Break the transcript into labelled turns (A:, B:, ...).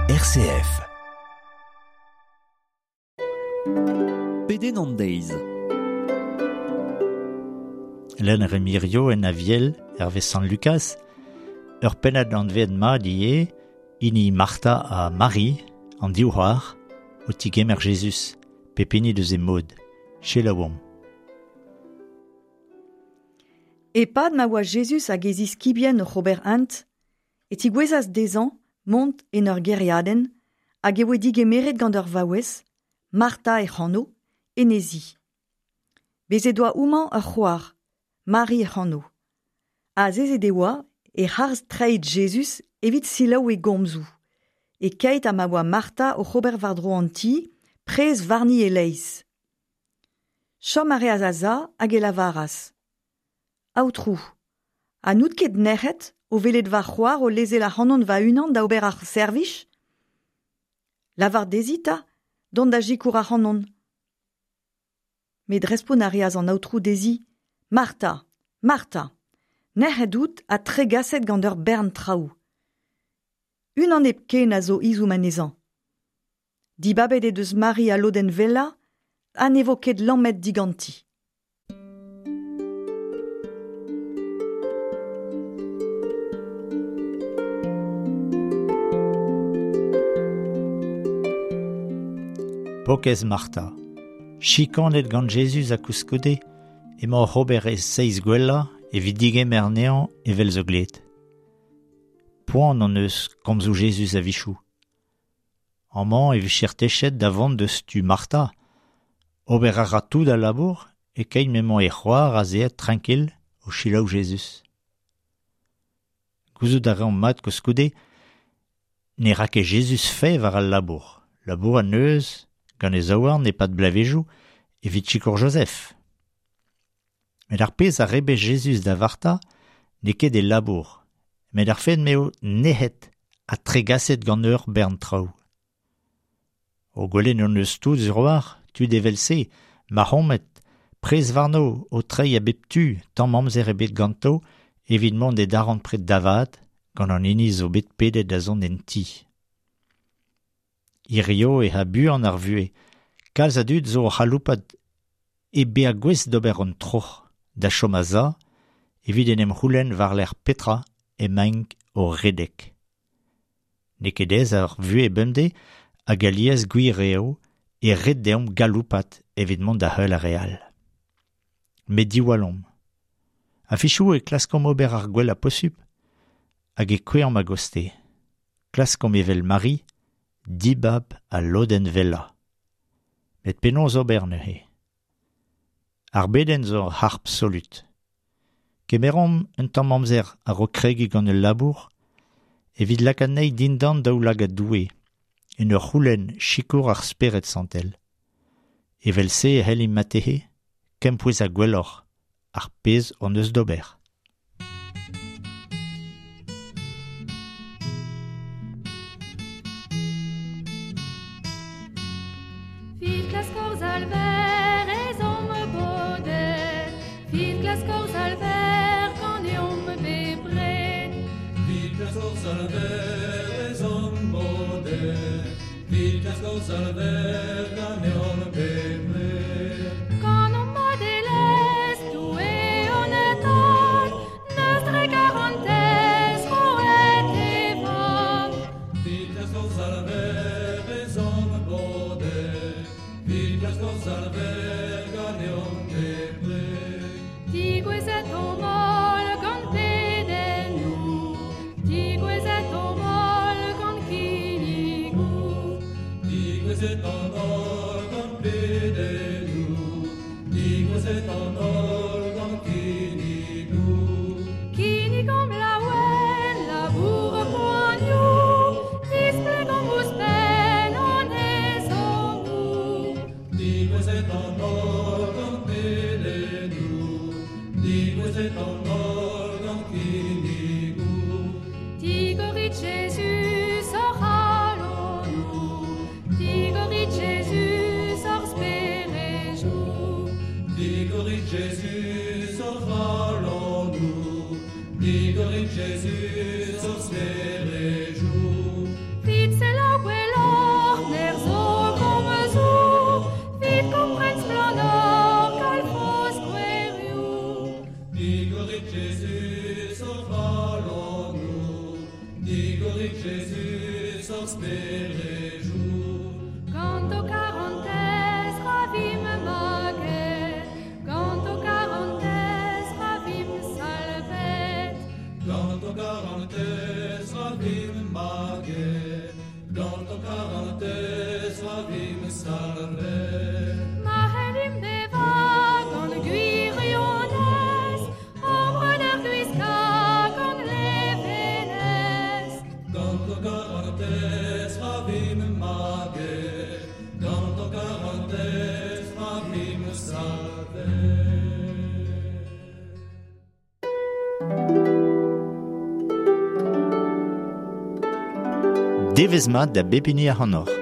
A: RCF.
B: Pedenn an deiz.
C: Lenn Remirio en Aviel, hervez Sant Lucas, ur pennad anvet mat ivez, hini Martha ha Mari, an div c'hoar, o tigemer Jezuz, pep hini deus e mod. Selaouomp.
D: Epad ma oa Jezuz hag e ziskibien oc'h ober hent, e tigouezas dezhañ mont en ur gêriadenn hag e voe digemeret gant ur vaouez, Martha hec'h anv, en he zi. Bez' he doa homañ ur c'hoar, Mari hec'h anv. Azezet e oa e-harz treid Jezuz evit selaou e gomzoù. E-keit ha ma oa Martha oc'h ober war-dro an ti, prez warni e-leizh. Chom a reas a-za hag e lavaras: Aotrou, ha n'out ket nec'het o welet va c'hoar o lezel ac'hanon va-unan da ober ar servij? Lavar dezhi 'ta dont da sikour ac'hanon. Met respont a reas an aotrou dezhi: Martha, Martha, nec'het out ha tregaset gant ur bern traoù. Unan hepken a zo ezhomm anezhañ. Dibabet he deus Mari al lodenn wellañ ha ne vo ket lammet diganti.
C: Pokez Martha. Chikanet gant Jezuz ha koulskoude emañ oc'h ober e seizh gwellañ evit digemer anezhañ evel zo glet. Poan hon eus komzoù Jezuz a-wechoù. Amañ e vije techet da vont deus tu Martha. Ober a ra tout al labour e-keit m'emañ e c'hoar azeet trankil o selaou Jezuz. Gouzout a reomp mat koulskoude ne ra ket Jezuz fae war al labour. Labour an neus gant e zaouarn e-pad bloavezhioù evit sikour Joseph. Met ar pezh a rebech Jezuz da Vartha n'eo ket e labour, met ar fed m'eo nec'het ha tregaset gant ur bern traoù. O gwelet hon eus tout sur-walc'h, tud evel-se, mac'homet, prez warno o treiñ a bep tu tamm amzer ebet ganto evit mont e darempred da vat gant an hini zo bet pedet da zont en ti. Hirio e ha buan ar vuhez. Kalz a dud zo o c'haloupat hep bezañ gouest d'ober an troc'h da chom a-za evit en em c'houlenn war-lerc'h petra emaint o redek. N'eo ket aes ar vuhez bemdez hag alies gwir eo e ret deomp galoupat evit mont da heul ar re all. Met diwallomp. A-wechoù e klaskomp ober ar gwellañ posupl hag e kouezhomp a-gostez. Klaskomp evel Mari dibab al lodenn wellañ. Met penaos ober neuze? Ar bedenn zo ur harp solut. Kemeromp un tamm amzer a-raok kregiñ gant ul labour evit lakaat anezhi dindan daoulagad Doue, en ur c'houlenn sikour ar Spered Santel. Evel-se e c'hellimp marteze kempouezañ gwelloc'h ar pezh hon eus d'ober.
E: Vit klask hor Salver ez omp bodet, Vit klask hor Salver ganeomp bepred.
F: Vit klask hor Salver ez omp bodet, Vit klask hor Salver ganeomp bepred.
E: Kanomp madelezh Doue hon Tad, N'eus dre garantez roet e Vab.
F: Vit klask hor Salver ez omp bodet, Vit klask hor Salver ganeomp bepred.
E: Digouezet omp holl gant pedennoù, Digouezet omp holl gant kinnigoù.
F: Digouezet an holl gant pedennoù, Digouezet an holl gant kinnigoù.
E: Kinnigomp laouen labour poanioù, Displegomp ouzhpenn hon ezhommoù.
F: Digouezet an holl gant pedennoù, Digouezet an holl gant kinnigoù.
E: Digorit Jezuz hor c'halonoù, Digorit
F: Digorik Jesus hor sperejou.
E: Gant ho karantez ra vimp maget, gant ho karantez ra vimp salvet.
F: Gant ho karantez ra vimp maget, gant ho karantez ra vimp salvet.
E: Ma c'hellimp bevañ gant gwirionez, hor breudeur gwiskañ gant levenez.
F: Gant ho karantez ra vimp maget, gant ho karantez ra vimp salvet.
C: Devezh mat da bep hini ac'hanoc'h.